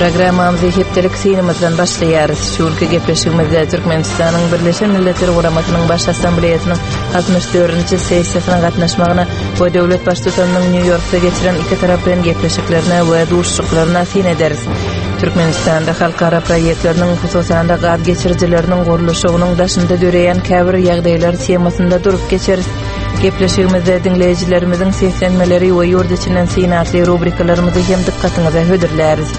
Programmamyzy hepdelik synymyzdan başlaýarys. Şu günki gepleşigimizde Türkmenistanyň Birleşen Milletler Guramasynyň Baş Assambleýasynyň 64-nji sessiýasyna gatnaşmagyna we döwlet Baştutanynyň Nýu-Ýorkda geçiren ikitaraplaýyn gepleşiklerine we duşuşyklaryna syn ederis. Türkmenistanda halkara proýektleriniň, hususan-da gaz geçirijileriniň gurluşygynyň daşynda döreýän käbir ýagdaýlar temasynda durup geçeris. Gepleşigimizde diňleýjilerimiziň seslenmeleri we ýurt içinden syn atly rubrikalarymyzy hem dykgatyňyza hödürläris.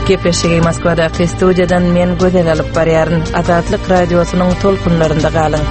Gepleşigi Moskwadaky studiýadan men Gözel alyp barýaryn. Azatlyk Radiosynyň tolkunlarynda galyň.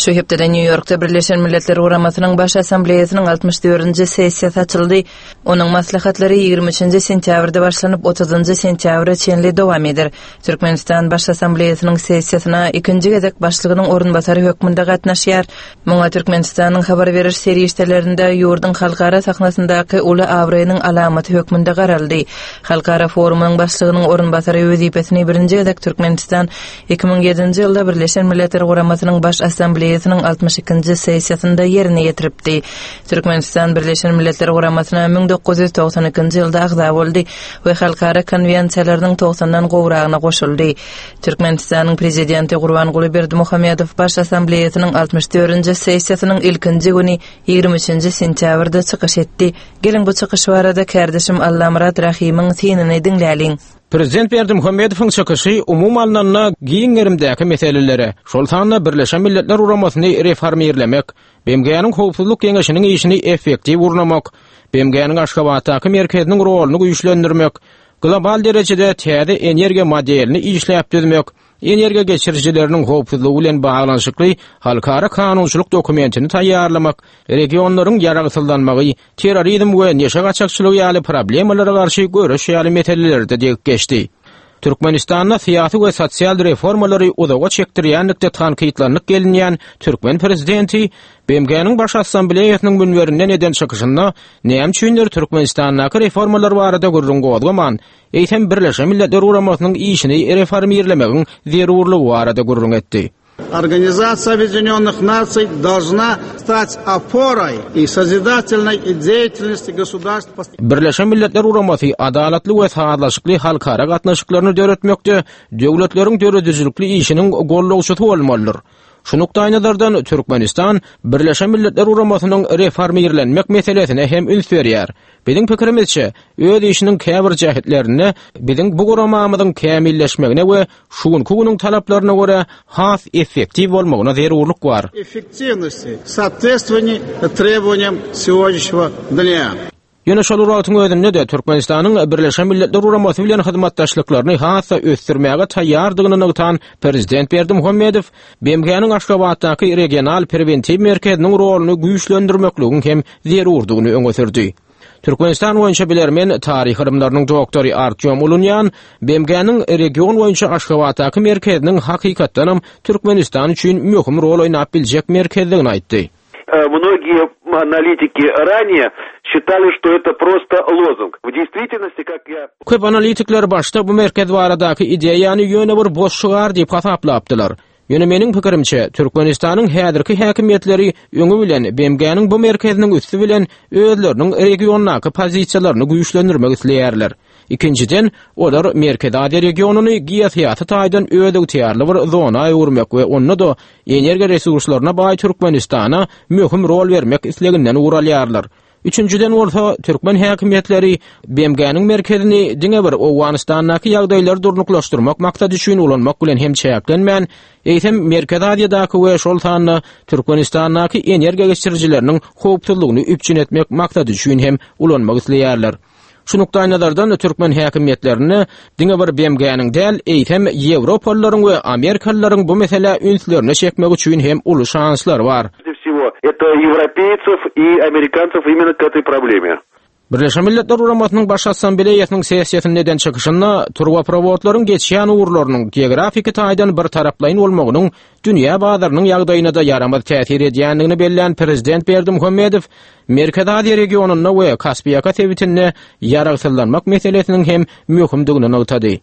Şu hepdede Nýu-Ýorkda Birleşen Milletler Guramasynyň Baş Assambleýasynyň 64-nji sessiýasy açyldy. Onuň maslahatlary 23-nji sentýabrda başlanyp, 30-njy sentýabra çenli dowam eder. Türkmenistan Baş Assambleýasynyň sessiýasyna ikinji gezek başlygynyň orunbasary hökmünde gatnaşýar. Muňa Türkmenistanyň habar beriş serişdelerinde ýurduň halkara sahnasyndaky uly abraýynyň alamaty hökmünde garaldy. Halkara forumyň başlygynyň orunbasary wezipesini birinji gezek Türkmenistan 2007-nji ýylda Birleşen Milletler Guramasynyň Baş Assambleýasynyň 62-nji sessiýasynda ýerine ýetiripdi. Türkmenistan Birleşen Milletler Guramasyna 1992-nji ýylda agza boldy we halkara konwensiýalarynyň togsandan gowragyna goşuldy. Türkmenistanyň Prezidenti Gurbanguly Berdimuhamedow Baş Assambleýasynyň 64-nji sessiýasynyň ilkinji güni 23-nji sentýabrda çykyş etdi. Geliň, bu çykyş barada kärdeşim Allamyrat Rahymyň synyny diňläliň. Prezident Berdimuhamedowyň çykyşy umumy alnanda giň gerimdäki meselelere, şol sanda Birleşen Milletler Guramasyny reformirlemek, BMG-niň Howpsuzlyk Geňeşiniň işini effektiw gurnamak, BMG-niň Aşgabatdaky merkeziniň roluny güýçlendirmek, global derejede täze energiýa modelini işläp düzmek, energiýa geçirijileriniň howpsuzlygy bilen baglanyşykly halkara kanunçylyk dokumentini taýýarlamak, regionlaryň ýaragsyzlanmagy, terrorizm we neşe gaçakçylygy ýaly problemalara garşy göreş ýaly meselelerde degip geçdi. Türkmenistanda syýasy we sosial reformalary uzaga çekdirýänlikde tankytlanyp gelinýän türkmen prezidenti BMG-niň Baş Assambleýasynyň münberinden eden çykyşynda näme üçindir Türkmenistandaky reformalar barada gürrüň gozgaman, eýsem Birleşen Milletler Guramasynyň işini reformirlemegiň zerurlygy barada gürrüň etdi. Organizasiýa Obýedinýonnyh Nasiý dolžna stać oporay i sozidatelnoý deýatelnosti gosudarstw. Birleşen Milletler Guramasy adalatly we sazlaşykly halkara gatnaşyklaryny döretmekde döwletleriň döredijilikli işiniň gollawçysy bolmalydyr. Şu nukdaýnazardan Türkmenistan Birleşen Milletler Guramasynyň reformirlenmek meselesine hem üns berýär. Biziň pikirimizçe, öz işiniň käbir jähetlerinde biziň bu guramamyzyň kämilleşmegine we şu günki günüň talaplaryna görä has effektiw bolmagyna zerurlyk bar. Effektiwnosti, sootvetstwowaniýa trebowaniýam segodnýaşnega dnýa. Ýöne şol bir wagtyň özünde-de Türkmenistanyň Birleşen Milletler Guramasy bilen hyzmatdaşlyklaryny has-da ösdürmäge taýýardygyny nygtan Prezident Berdimuhamedow BMG-niň Aşgabatdaky Regional prewentiw merkeziniň roluny güýçlendirmekligiň hem zerurdygyny öňe sürdi. Türkmenistan boýunça bilermen, taryh ylymlarynyň doktory Artýom Ulunýan BMG-niň region boýunça Aşgabatdaky merkeziniň hakykatdanam Türkmenistan üçin möhüm rol oýnap biljek merkezdigini aýtdy. Mnogie analitiki ranее считали, что это prosto lozung. W deýstwitelnosti, kak ýa. Köp analitikler başda bu merkez baradaky ideýany ýöne bir boş şygar diýip hasaplapdylar. Ýöne meniň pikirimçe, Türkmenistanyň häzirki häkimiýetleri öňi bilen BMG-niň bu merkeziniň üsti bilen özleriniň regiondaky pozisiýalaryny güýçlendirmek isleýärler. Ikinjiden, olar Merkezi Aziýa regionyny geosyýasy taýdan özygtyýarly bir zona öwürmek we onda-da energiýa resurslaryna baý Türkmenistana möhüm rol bermek isleginden ugur alýarlar. Üçünjiden bolsa, türkmen häkimiýetleri BMG-niň merkezini diňe bir Owganystandaky ýagdaýlary durnuklaşdyrmak maksady üçin ulanmak bilen hem çäklenmän, eýsem Merkezi Aziýadaky we şol sanda Türkmenistandaky energiýa geçirijileriniň howpsuzlygyny üpjün etmek maksady üçin hem ulanmak isleýärler. Şu nukdaýnazardan türkmen häkimiýetlerinde diňe bir BMG-niň däl, eýsem ýewropalylaryň we amerikalylaryň bu meselä ünslerini çekmek üçin hem uly şanslary bar. Всего, это европейцев и американцев именно к этой проблеме. Birleşen Milletler Guramasynyň Baş Assambleýasynyň sessiýasynda eden çykyşynda turbaprowodlaryň geçýän ugurlarynyň geografiki taýdan birtaraplaýyn bolmagynyň dünýä bazarynyň ýagdaýyna-da ýaramaz täsir edýändigini bellän prezident Berdimuhamedow Merkezi Aziýa regionynda we Kaspiýaka sebitinde ýaragsyzlanmak meselesiniň hem möhümdigini nygtady.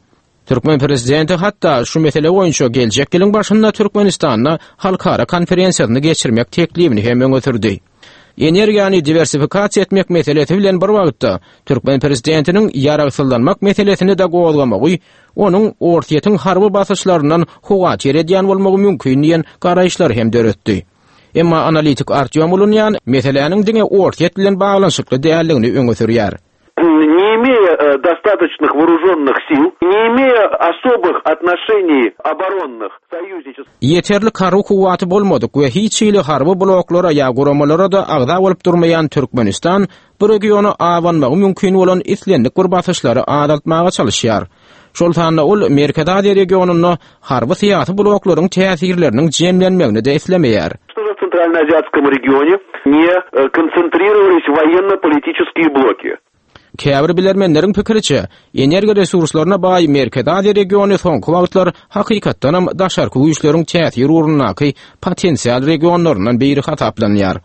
Türkmen prezidenti hatda şu mesele boýunça geljek ýylyň başynda Türkmenistanda halkara konferensiýasyny geçirmek teklibini hem öňe sürdi. Energiýany diwersifikasiýa etmek meselesi bilen bir wagtda, türkmen prezidentiniň ýaragsyzlanmak meselesini-de gozgamagy onuň Orsýetiň harby basyşlaryndan howatyr edýän bolmagy mümkin diýen garaýyşlary hem döretdi. Emma analitik Artýom Ulunýan meseläniň diňe Orsýet bilen baglanyşykly däldigini öňe sürýär. Не имея э, достаточных вооруженных сил, не имея особых отношений оборонных союзнических... Ýeterlik harby kuwwaty bolmadyk we hiç hili harby bloklara ýa guramalara-da agza bolup durmaýan Türkmenistan bu regiona abanmagy mümkin bolan islendik bir basyşlary azaltmaga çalyşýar. Şol sanda ol Merkezi Aziýa regionynda harby-syýasy bloklaryň täsirleriniň jemlenmegini-de islemeýär. Чтобы в Центральноазиатском регионе не э, концентрировались военно-политические блоки. Käbir bilermenleriň pikiriçe, energiýa resurslaryna baý Merkezi Aziýa regiony soňky wagtlar hakykatdanam daşarky güýçleriň täsir ugrundaky potensial regionlaryndan biri hasaplanýar.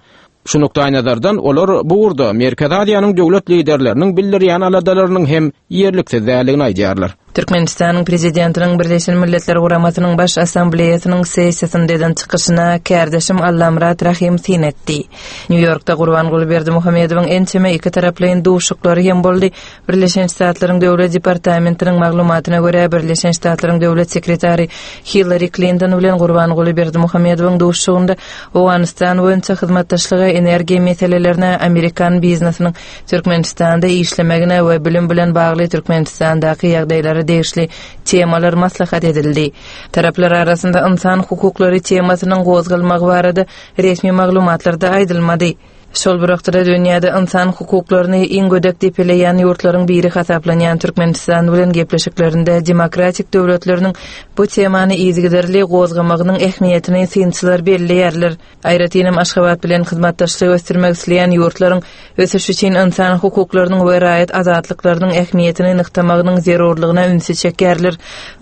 Şu nukdaýnazardan olar bu ugurda Merkezi Aziýanyň döwlet liderleriniň bildirýän aladalarynyň hem ýerliksiz däldigini aýdýarlar. Türkmenistanyň Prezidentiniň Birleşen Milletler Guramasynyň Baş Assambleýasynyň sessiýasynda eden çykyşyna kärdeşim Allamyrat Rahym syn etdi. Nýu-Ýorkda Gurbanguly Berdimuhamedowyň ençeme ikitaraplaýyn duşuşyklary hem boldy. Birleşen Ştatlaryň Döwlet departamentiniň maglumatyna görä, Birleşen Ştatlaryň Döwlet sekretary Hillari Klinton bilen Gurbanguly Berdimuhamedowyň duşuşygynda Owganystan boýunça hyzmatdaşlyga, energiýa meselelerine, amerikan biznesiniň Türkmenistanda işlemegine we bilim bilen bagly Türkmenistandaky ýagdaýlara degişli temalar maslahat edildi. Taraplar arasynda ynsan hukuklary temasynyň gozgalmagy barada resmi maglumatlarda aýdylmady. Şol bir wagtda-da dünýäde ynsan hukuklaryny iň gödek depeleýän ýurtlaryň biri hasaplanýan Türkmenistan bilen gepleşiklerinde demokratik döwletleriniň bu temany yzygiderli gozgamagynyň ähmiýetini synçylar belleýärler. Aýratynam Aşgabat bilen hyzmatdaşlygy ösdürmek isleýän ýurtlaryň ösüş üçin ynsan hukuklarynyň we raýat azatlyklarynyň ähmiýetini nygtamagynyň zerurlygyna ünsi çekýärler.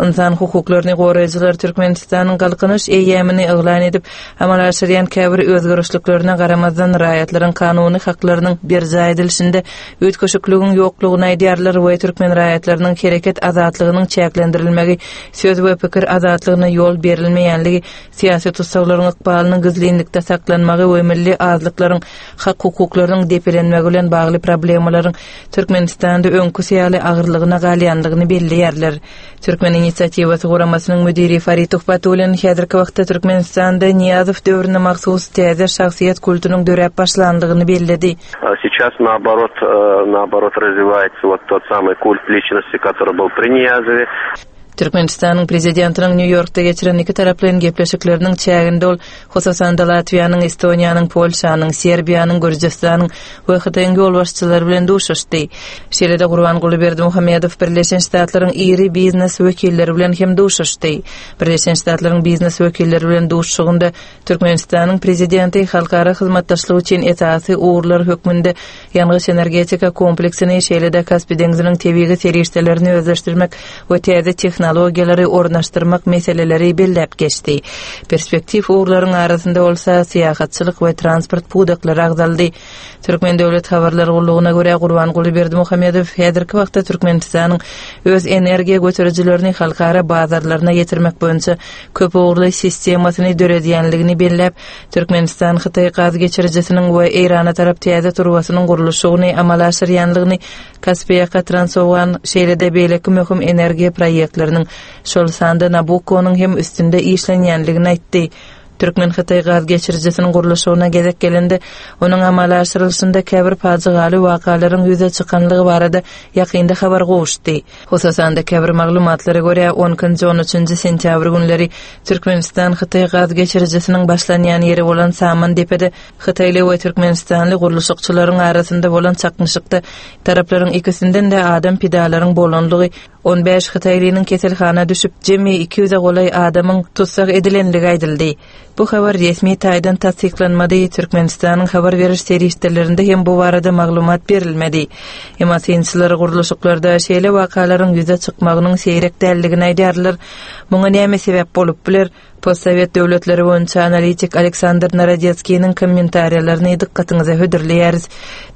Ynsan hukuklaryny goraýjylar Türkmenistanyň Galkynyş eýýamyny yglan edip, Amala aşyrýan käbir özgerişliklerine garamazdan, raýatlaryň kanuny haklarynyň berjaý edilişinde üýtgeşikligiň ýoklugyny aýdýarlar we türkmen raýatlarynyň hereket azatlygynyň çäklendirilmegi, söz we pikir azatlygyna ýol berilmeýänligi, syýasy tussaglaryň ykbalynyň gizlinlikde saklanmagy we milli azlyklaryň hak-hukuklarynyň depelenmegi bilen bagly problemalaryň Türkmenistanda öňküsi ýaly agyrlygyna galýanlygyny belleýärler. Türkmen inisiatiwasy guramasynyň müdiri Farid Tuhbatullin häzirki wagtda Türkmenistanda Nyýazow döwrüne mahsus täze şahsyýet kultunyň döräp başlandygyny belledi. Сейчас naoborot naoborot razwiwaýtsa wot tot samyý kult liçnosti, kotoryý byl pri Niýazowe. Türkmenistanyň Prezidentiniň Nýu-Ýorkda geçiren ikitaraplaýyn gepleşikleriniň çäginde ol, hususan-da, Latwiýanyň, Estoniýanyň, Polşanyň, Serbiýanyň, Gürjüstanyň we Hytaýyň ýolbaşçylary bilen duşuşdy. Şeýle-de Gurbanguly Berdimuhamedow Birleşen Ştatlaryň iri biznes wekilleri bilen hem duşuşdy. Birleşen Ştatlaryň biznes wekilleri bilen duşuşygynda Türkmenistanyň Prezidenti halkara hyzmatdaşlyk üçin esasy ugurlar hökmünde ýangyç-energetika kompleksini, şeýle-de Kaspi deňziniň tebigy serişdelerini özleşdirmek we täze tehnologiýalary ornaşdyrmak meseleleri belläp geçdi. Perspektiw ugurlaryň arasynda bolsa syýahatçylyk we transport pudaklary agzaldy. Türkmen döwlet habarlar gullugyna görä, Gurbanguly Berdimuhamedow häzirki wagtda Türkmenistanyň öz energiýa göterijilerini halkara bazarlaryna ýetirmek boýunça köpugurly sistemasyny döredýänligini belläp, Türkmenistan-Hytaý gaz geçirijisiniň we Eýrana tarap täze turbasynyň gurluşygyny amala aşyrýanlygyny, Kaspiýaka Transowgan, şeýle-de beýleki möhüm energiýa proýektleriniň, şol sanda Nabukkonyň hem üstünde işlenýänligini aýtdy. Türkmen-hytaý gaz geçirijisiniň gurluşygyna gezek gelende, onuň amala aşyrylyşynda käbir pajygaly wakalaryň ýüze çykanlygy barada ýakynda habar gowuşdy. Hususan-da, käbir maglumatlara görä, on ikinji-on üçünji sentýabr günleri Türkmenistan-Hytaý gaz geçirijisiniň başlanýan ýeri bolan Samandepede hytaýly we türkmenistanly gurluşykçylaryň arasynda bolan çaknyşykda taraplaryň ikisinden-de adam pidalaryň bolanlygy, 15 hytaýlynyň keselhana düşüp, jemi 200-e golaý adamyň tussag edilenligi aýdyldy. Bu habar resmi taýdan tassyklanmady, Türkmenistanyň habar beriş serişdelerinde hem bu barada maglumat berilmedi. Emma synçylar gurluşyklarda şeýle wakalaryň ýüze çykmagynyň seýrek däldigini aýdýarlar. Muňa näme sebäp bolup biler? Postsowet döwletleri boýunça analitik Aleksandr Narodetskiniň kommentariýalaryny dykgatyňyza hödürleýäris.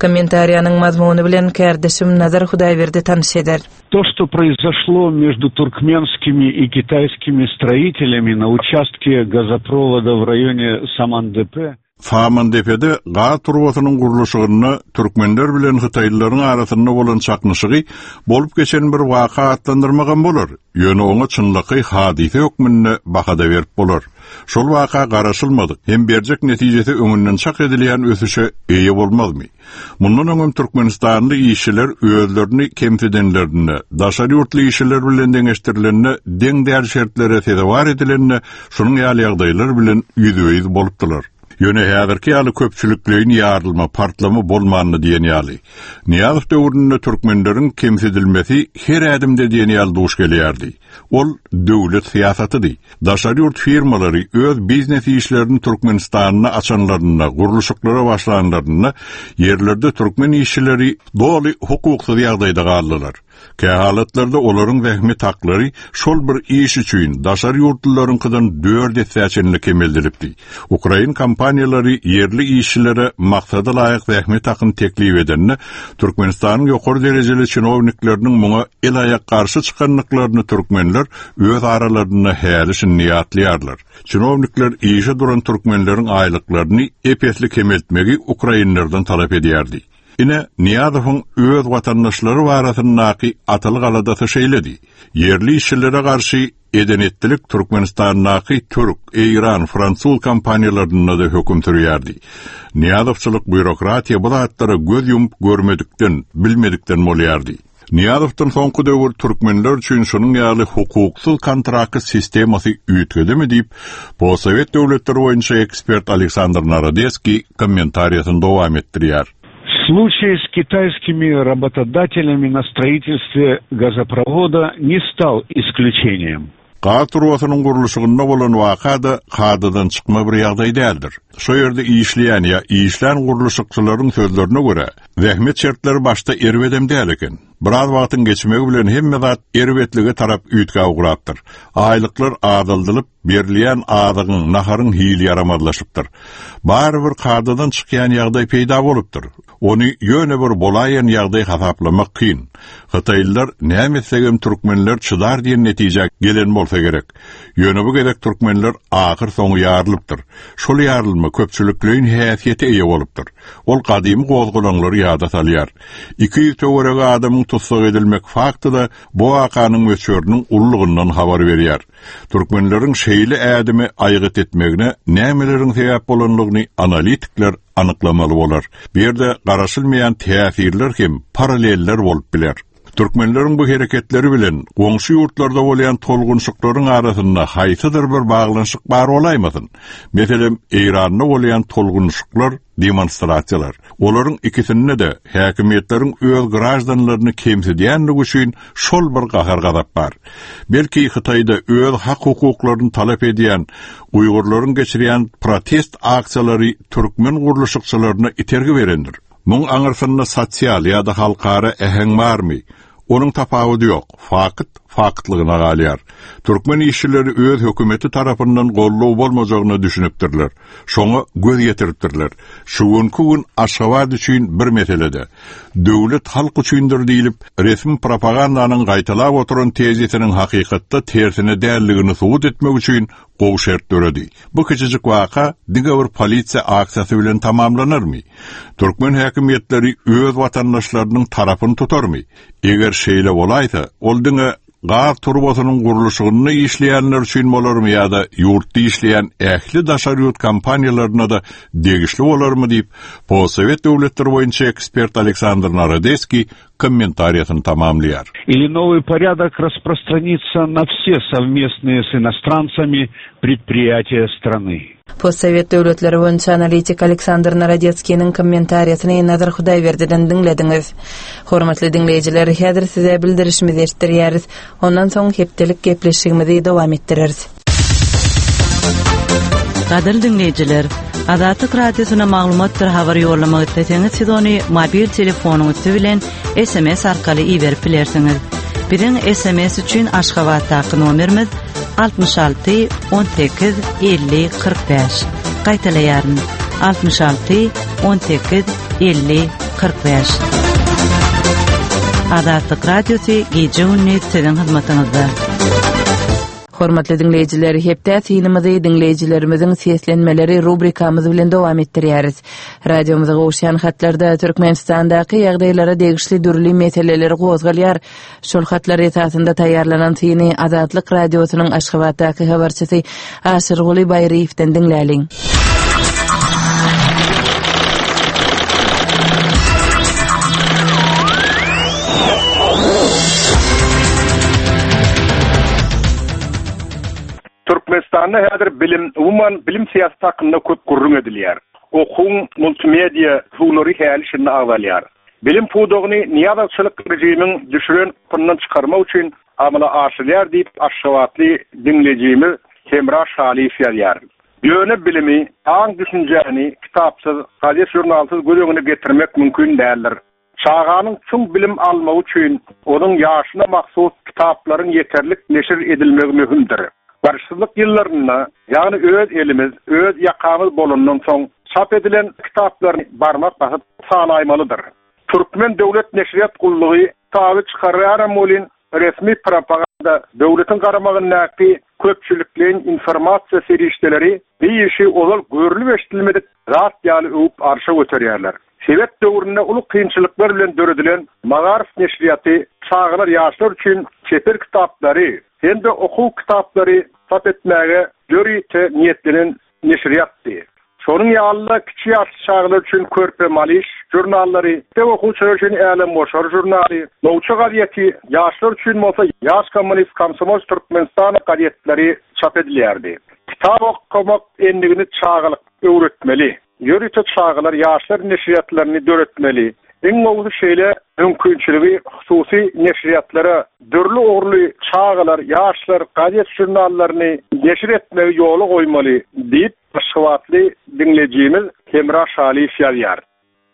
Kommentariýanyň mazmuny bilen kärdeşim Nazar Hudaýberdi tanyş eder. То, что произошло между туркменскими и китайскими строителями на участке газопровода в районе Самандепе. Samandepede gaz turbasynyň gurluşygynda türkmenler bilen hytaýlylaryň arasynda bolan çaknyşygy bolup geçen bir waka atlandyrmagam bolar, ýöne oňa çynlakaý hadysa hökmünde baha-da berip bolar. Şol waka garaşylmadyk hem berjek netijesi öňünden çak edilýän ösüşe eýe bolmazmy? Mundan öňem türkmenistanly işçiler özlerini kemsidenlerinde, daşary ýurtly işçiler bilen deňeşdirilende deň däl şertlere sezewar edilende şunuň ýaly ýagdaýlar bilen ýüzbe-ýüz bolupdylar. Ýöne häzirki ýaly köpçülikleýin ýarylma, partlama bolmandy diýen ýaly. Nyýazow döwründe türkmenleriň kemsidilmesi her ädimde diýen ýaly duş gelýärdi. Ol döwlet syýasatydy. Daşary ýurt firmalary öz biznes işlerini Türkmenistanda açanlarynda, gurluşyklara başlanlarynda ýerlerde türkmen işçileri doly hukuksyz ýagdaýda galdylar. Kähalatlarda olaryň zähmet haklary şol bir iş üçin daşary ýurtlularyňkydan dört essä çenli kemeldilipdi. Ukrain kompaniýalary ýerli işçilere maksada laýyk zähmet hakyny teklip edende, Türkmenistanyň ýokary derejeli çinownikleriniň muňa el-aýak garşy çykandyklaryny türkmenler öz aralarynda häli-şindi ýatlaýarlar. Çinownikler işe duran türkmenleriň aýlyklaryny ep-esli kemeltmegi ukrainlerden talap edýärdi. Ine, Nyýazowyň öz watandaşlary barasyndaky atalyk aladasy şeýledi. Ýerli işçilere garşy Eden-etdilik Türkmenistandaky türk, eýran, fransuz kompaniýalarynda-da höküm sürýärdi. Nyýazowçylyk býurokratiýa bu zatlara göz ýumup görmedikden, bilmedikden bolýardy. Nyýazowdan soňky döwür türkmenler üçin şunuň ýaly hukuksyz kontrakt sistemasy üýtgedimi diýip, postsowet döwletleri boýunça ekspert Aleksandr Narodeskiý kommentariýasyny dowam etdirýär. Случай с китайскими работодателями на строительстве газопровода не стал исключением. Gaz turbasynyň gurluşygynda bolan waka-da kadadan çykma bir ýagdaý däldir. Şo ýerde işleýän ýa işlän gurluşykçylaryň sözlerine görä, zähmet şertleri başda erbedem däl eken. Biraz wagtyň geçmegi bilen hemme zat erbetlige tarap üýtgäp ugrapdyr. Aýlyklar azaldylyp, berilýän azygyň, naharyň hili ýaramazlaşypdyr. Barybir kadadan çykýan ýagdaý peýda bolupdyr. Ony ýöne bir bolaýan ýagdaý hasaplamak kyn. Hytaýlylar näme etsegem türkmenler çydar diýen netijä gelen bolsa gerek. Ýöne bu gezek türkmenler ahyr soňy ýarylypdyr. Şol ýarylma köpçülikleýin häsiýete eýe bolupdyr. Ol gadymy gozgalaňlary ýada salýar. 200 töweregi adamyň tussag edilmek fakty-da bu wakanyň möçberiniň ululygyndan habar berýär. Türkmenleriň şeýle ädimi aýgyt etmegine nämeleriň sebäp bolandygyny analitikler anyklamaly bolar. Bu ýerde garaşylmaýan täsirler hem paralleller bolup biler. Türkmenleriň bu hereketleri bilen goňşy ýurtlarda bolýan tolgunşyklaryň arasynda haýsydyr bir baglanyşyk bar bolaýmasyn? Meselem, Eýranda bolýan tolgunyşyklar, demonstrasiýalar. Olaryň ikisinde-de häkimiýetleriň öz graždanlaryny kemsidýänligi üçin şol bir gahar-gazap bar. Belki Hytaýda öz hak-hukuklaryny talap edýän uýgurlaryň geçirýän protest aksiýalary türkmen gurluşykçylaryna itergi berendir. Muň aňyrsynda sosial ýa-da halkara äheň barmy? Onuň tapawudy ýok, fakt faktlygyna galýar. Türkmen işçileri öz hökümeti tarapyndan goldaw bolmajagyna düşünipdirler. Şoňa göz ýetiripdirler. Şu günki gün Aşgabat üçin bir meselede, Döwlet halk üçindir diýlip, resmi propagandanyň gaýtalap oturan tezisiniň hakykatda tersine däldigini subut etmek üçin gowy şert döredi. Bu kiçijik waka diňe bir polisiýa aksiýasy bilen tamamlanarmy? Türkmen häkimiýetleri öz watandaşlarynyň tarapyny tutarmy? Eger şeýle bolaýsa, ol diňe gaz turbasynyň gurluşygynda işleýänler üçin bolarmy ýa-da ýurtda işleýän ähli daşary ýurt kompaniýalaryna-da degişli bolarmy diýip, postsowet döwletleri boýunça ekspert Aleksandr Narodeskiý kommentariýasyny tamamlaýar. Ili nowy porýadok rasprostranitsa na wse sowmestnyýe s inostrantsami predpriýatiýa strany. Postsowet döwletleri boýunça analitik Aleksandr Narodetskiniň kommentariýasyny Nazar Hudaýberdiden diňlediňiz. Hormatly diňleýjiler, häzir size bildirişimizi eşitdirýäris. Ondan soň hepdelik gepleşigimizi dowam etdireris. Gadyrly diňleýjiler, Azatlyk Radiosyna maglumatdyr habar ýollamak isleseňiz, siz ony mobil telefonyň üsti bilen SMS arkaly iberip bilersiňiz. Biziň SMS üçin Aşgabatdaky nomerimiz 66 18 50 45. Gaýtalaýaryn. 66 18 50 45. Azatlyk Radiosy gije-gündiz siziň hyzmatyňyzda. Hormatly diňleýjiler, hepdä synymyzy diňleýjilerimiziň seslenmeleri rubrikamyz bilen dowam etdirýäris. Radiomyza gowuşýan hatlarda Türkmenistandaky ýagdaýlara degişli dürli meseleler gozgalýar. Şol hatlar esasynda taýýarlanan syny Azatlyk Radiosynyň Aşgabatdaky habarçysy Aşyrguly Baýryýewden diňläliň. Türkmenistanda häzir bilim, umuman bilim syýasaty hakynda köp gürrüň edilýär. Okuwyň multimediýa usullary häli-şindi agzalýar. Bilim pudagyny nyýazowçylyk režimiň düşüren gapyndan çykarmak üçin amala aşyrylýar diýip, aşgabatly diňleýjimiz Hemra Şalyýew ýazýar. Ýöne bilimi, aň-düşünjäni kitapsyz, gazet-žurnalsyz göz öňüne getirmek mümkin däldir. Çaganyň çuň bilim almagy üçin onuň ýaşyna mahsus kitaplaryň ýeterlik neşir edilmegi möhümdir. Garaşsyzlyk ýyllarynda, ýagny öz elimiz, öz ýakamyz bolandan soň çap edilen kitaplaryny barmak basyp sanaýmalydyr. Türkmen döwlet neşirýat gullugy kitaby çykarýaram welin, resmi propaganda, döwletiň garamagyndaky köpçülikleýin informasiýa serişdeleri bi işi ozal görlüp-eşidilmedik zat ýaly öwüp arşa göterýärler. Sowet döwründe uly kynçylyklar bilen döredilen Magaryf neşirýaty çagalar, ýaşlar üçin çeper kitaplary hem-de okuw kitaplary çap etmäge ýörite niýetlenen neşirýatdy. Şonuň ýaly-da kiçi ýaşly çagalar üçin Körpe Malyş žurnallary, mekdep okuwçylary üçin Älemgoşar žurnaly, Nowça gazeti, ýaşlar üçin bolsa Ýaş kommunist, Komsomolç Türkmenistana gazetleri çap edilýärdi. Kitap okamak endigini çagalykda öwretmeli. Ýörite çagalar, ýaşlar neşirýatlaryny döretmeli. Iň gowusy şeýle mümkinçiligi hususy neşirýatlara dürli ugurly çagalar, ýaşlar gazet-žurnallaryny neşir etmegi ýola goýmaly diýip, aşgabatly diňleýjimiz Hemra Şalyýew ýazýar.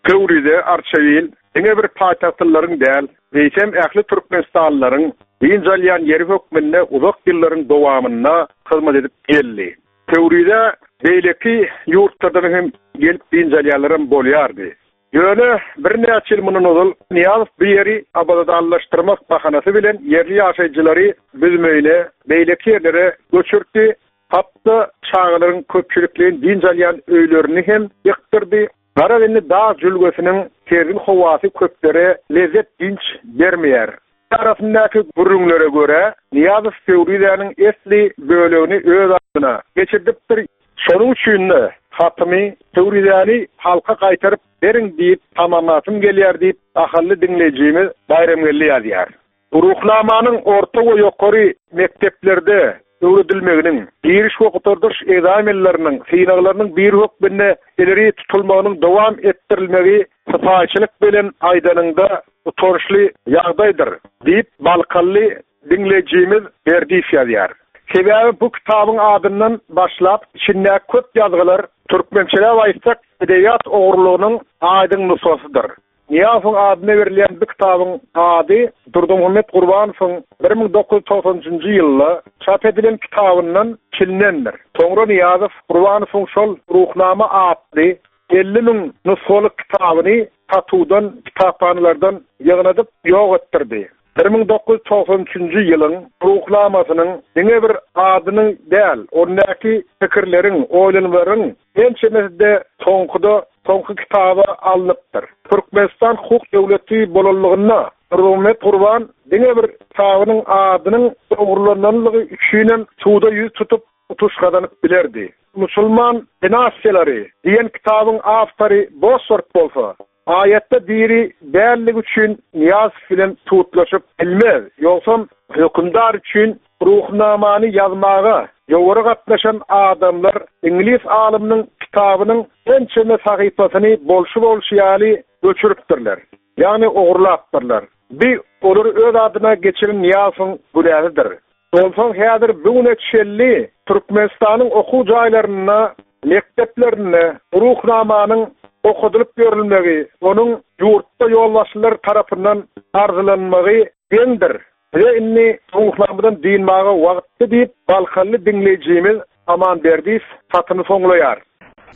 Pöwrize, Arçabil diňe bir paýtagtlylaryň däl, eýsem ähli türkmenistanlylaryň dynç alýan ýeri hökmünde uzak ýyllaryň dowamynda hyzmat edip geldi. Pöwrizä beýleki ýurtlardan hem gelip dynç alýanlaram bolýardy. Ýöne birnäçe ýyl mundan ozal Nyýazow bu ýeri abadanlaşdyrmak bahanasy bilen ýerli ýaşaýjylary Büzmeýine, beýleki ýerlere göçürtdi, hat-da çagalaryň köpçülikleýin dynç alýan öýlerini hem ýykdyrdy. Garaz indi dag jülgesiniň sergin howasy köplere lezzet dynç bermeýär. Arasyndaky gürrüňlere görä, Nyýazow Pöwrizäniň esli bölegini öz adyna geçirdipdir. Şonuň üçin-de, hatymy, Pöwrizäni halka gaýtaryp beriň diýip tamamlasym gelýär diýip, ahally diňleýjimiz Baýramgeldi ýazýar. Ruhnamanyň orta we ýokary mekdeplerde öwredilmeginiň, giriş we gutardyş ekzamenleriniň synaglarynyň biri hökmünde ileri tutulmagynyň dowam etdirilmegi sypaýyçylyk bilen aýdanyňda utançly ýagdaýdyr diýip, balkanly diňleýjimiz Berdiýew ýazýar. Sebäbi bu kitabyň adyndan başlap içindäki köp ýazgylar türkmençeläp aýtsak edebiýat ogurlygynyň aýdyň nusgasydyr. Nyýazowyň adyna berilýän bu kitabyň ady Durdymuhammet Gurbanowyň 1993 njy ýylda çap edilen kitabyndan çilinendir. Soňra Nyýazow Gurbanowyň şol Ruhnama atly 50 müň nusgalyk kitabyny satuwdan, kitaphanalardan ýygnadyp ýok etdirdi. 1993-nji ýylyň Ruhnamasynyň diňe bir adynyň däl, ondaky pikirleriň, oýlanmalaryň ençemesi-de soňkuda, soňky kitaba alnypdyr. Türkmenistan hukuk döwleti bolanlygynda Nurmuhammet Gurban diňe bir kitabynyň adynyň ogurlananlygy üçinem suda ýüz tutup, utuş gazanyp bilerdi. Musulman dinastiýalary diýen kitabyň awtory Boswort bolsa, Aýatda diri dälligi üçin Nyýazow bilen tutluşyp bilmez, ýogsam hökümdar üçin Ruhnamany ýazmaga ýowara gatnaşan adamlar iňlis alymynyň kitabynyň ençeme sahypasyny bolşy-bolşy ýaly göçüripdirler, ýagny ogurlapdyrlar. Bi olary öz adyna geçiren Nyýazowyň günäsidir. Onsoň häzir bu güne çenli Türkmenistanyň okuw jaýlarynda, mekdeplerinde Ruhnamanyň okadylyp ýörülmegi, onuň ýurtda ýolbaşçylar tarapyndan arzylanmagy geňdir. Bize indi Ruhnamadan dynmaga wagtdy diýip, balkanly diňleýjimiz Aman Berdiýew hatyny soňlaýar.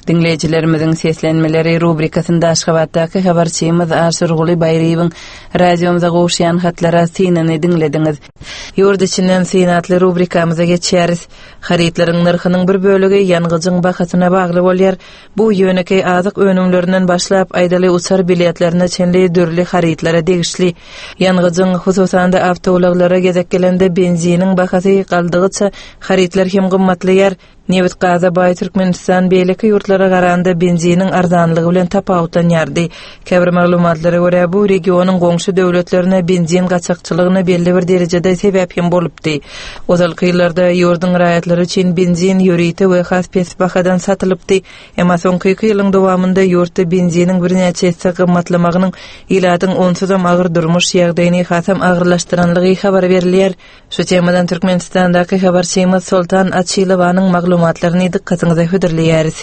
Diňleýjilerimiziň seslenmeleri rubrikasynda Aşgabatdaky habarçymyz Aşyrguly Baýryýewiň radiomyza gowuşýan hatlara synyny diňlediňiz. Ýurt içinden syn atly rubrikamyza geçýäris. Harytlaryň nyrhynyň bir bölegi ýangyjyň bahasyna bagly bolýar. Bu ýönekeý azyk önümlerinden başlap, aýdaly uçar biletlerine çenli dürli harytlara degişli. Ýangyjyň, hususan-da awtoulaglara gezek gelende benziniň bahasy galdygyça harytlar hem gymmatlaýar. Nebit-gaza baý Türkmenistan beýleki ýurtlara garanda benziniň arzanlygy bilen tapawutlanýardy. Käbir maglumatlara görä, bu regionyň goňşy döwletlerine benzin gaçakçylygyna belli bir derejede sebäp hem bolupdy. Ozalky ýyllarda ýurduň raýatlary üçin benzin ýörite we has pes bahadan satylypdy. Emma soňky iki ýylyň dowamynda ýurtda benziniň birnäçe esse gymmatlamagynyň ilatyň onsuzam agyr durmuş ýagdaýyny hasam agyrlaşdyranlygy habar berilýär. Şu temadan Türkmenistandaky habarçymyz Soltan Açylowanyň maglumatlaryny dykgatyňyza hödürleýäris.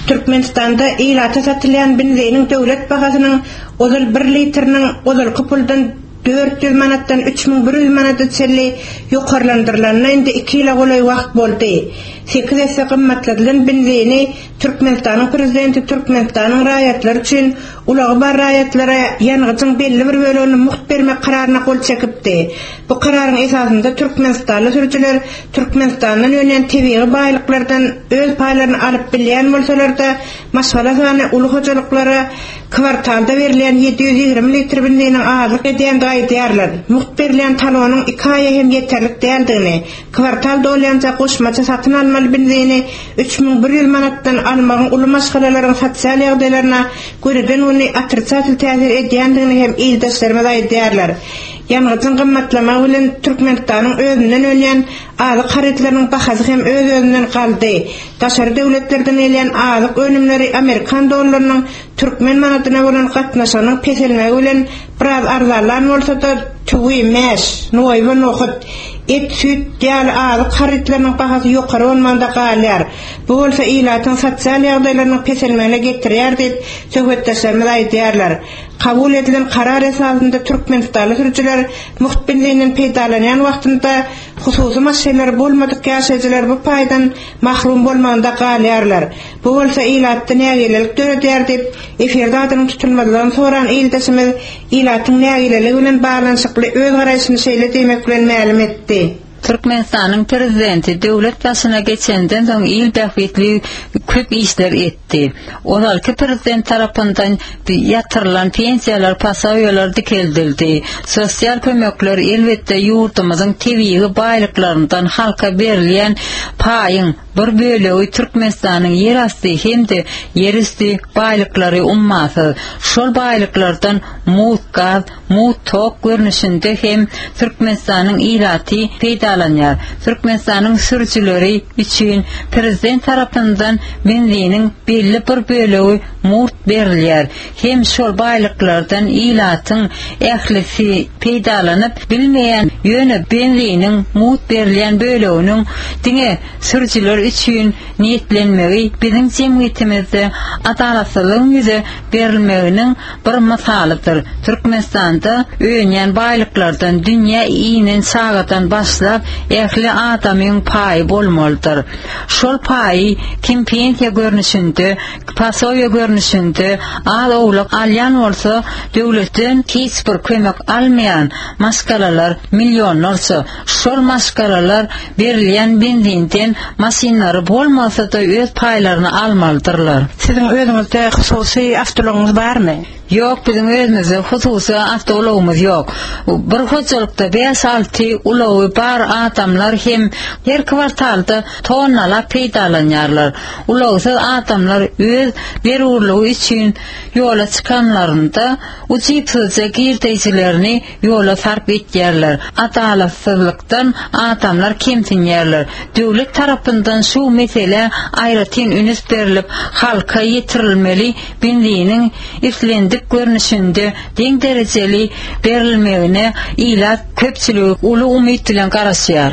Türkmenistanda ilata satylýan benziniň döwlet bahasynyň ozal bir litriniň ozalky puldan 400 manatdan 3100 manada çenli ýokarlandyrylanyna indi iki ýyla golaý wagt boldy. Sekiz esse gymmatladylan benzini Türkmenistanyň prezidenti Türkmenistanyň raýatlary üçin ulagy bar raýatlara ýangyjyň belli bir bölegini mugt bermek kararyna gol çekipdi. Bu kararyň esasynda türkmenistanly sürüjiler Türkmenistandan önýän tebigy baýlyklardan öz paýlaryny alyp bilýän bolsalar-da, maşgala sany uly hojalyklara kwartalda berilýän 720 litr benziniň azlyk edýändigi aýdýarlar. Mugt berilýän talonyň iki aýa hem ýeterlik däldigini, Kwartal dolýança goşmaça satyn almaly benzini 3100 manatdan almagyň uly maşgalalaryň sosial ýagdaýlaryna gönüden-göni otrisatel täsir edýändigini hem ildeşlerimiz aýdýarlar. Ýangyjyň gymmatlamagy bilen Türkmenistanyň özünden önýän azyk harytlarynyň bahasy hem öz-özünden galdy. Daşary döwletlerden gelýän azyk önümleri amerikan dollarynyň türkmen manadyna bolan gatnaşygynyň peselmegi bilen biraz arzanlan bolsa-da, tüwi, mäş, noýba, nohut, et, süýt ýaly azyk harytlarynyň bahasy ýokary bolmagynda galýar. Bu bolsa ilatyň sosial ýagdaýlarynyň peselmegine getirýär diýip, söhbetdeşlerimiz aýdýarlar. Kabul edilen karar esasynda türkmenistanly sürüjiler mugt benzinden peýdalanýan wagtynda hususy maşynlary bolmadyk ýaşaýjylar bu paýdan mahrum bolmagynda galýarlar. Bu bolsa ilatda nägilelik döredýär diýip, efirde adynyň tutulmazlygyny soran ildeşimiz ilatyň nägileligi bilen baglanyşykly öz garaýşyny şeýle diýmek bilen mälim etdi. Türkmenistanyň Prezidenti döwlet başyna geçenden soň il bähbitli köp işler etdi. Ozalky Prezident tarapyndan ýatyrylan pensiýalar, posobiýalar dikeldildi. Sosial kömekler elbetde ýurdumyzyň tebigy baýlyklaryndan halka berilýän paýyň Bir bölegi Türkmenistanyň ýerasty hem-de ýerüsti baýlyklary ummasyz. Şol baýlyklardan mugt gaz, mugt tok görnüşinde hem Türkmenistanyň ilaty peýdalanýar. Türkmenistanyň sürüjileri üçin prezident tarapyndan benziniň belli bir bölegi mugt berilýär. Hem şol baýlyklardan ilatyň ählisi peýdalanyp bilmeýän, ýöne benziniň mugt berilýän böleginiň diňe sürüjiler üçin niýetlenmegi biziň jemgyýetimizde adalatsyzlygyň ýüze berilmeginiň bir mysalydyr. Türkmenistanda önýän baýlyklardan dünýä inen çagadan başlap ähli adamyň paýy bolmalydyr. Şol paýy kim pensiýa görnüşinde, posobiýe görnüşinde az-owlak alýan bolsa, döwletden hiç bir kömek almaýan maşgalalar millionlarça. Şol maşgalalar berilýän benzinden maşynlary bolmasa-da öz paýlaryny almalydyrlar. Siziň özüňizde hususy awtoulagyňyz barmy? Ýok, biziň özümizde hususy awtoulagymyz ýok. Bir hojalykda bäş-alty ulagy bar adamlar hem her kwartalda tonnalap peýdalanýarlar. Ulagsyz adamlar öz zerurlygy üçin ýola çykanlarynda ujypsyzja girdeýjilerini ýola sarp etýärler. Adalatsyzlykdan adamlar kemsinýärler. Döwlet tarapyndan şu meselä aýratyn ünüs berlip, halka ýetirilmeli benziniň islendik görnüşinde deň derejeli berilmegine ilat köpçüligi uly umyt bilen garaşýar.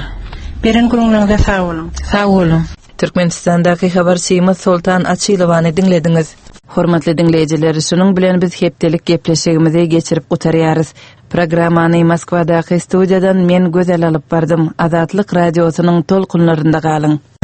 Beren gürrüňleriňize sag boluň. Sag boluň. Türkmenistandaky habarçymyz Soltan Açylowany diňlediňiz. Hormatly diňleýjiler, şunuň bilen biz hepdelik gepleşigimizi geçirip gutarýarys. Programmany Moskwadaky studiýadan men Gözel alyp bardym. Azatlyk Radiosynyň tolkunlarynda galyň!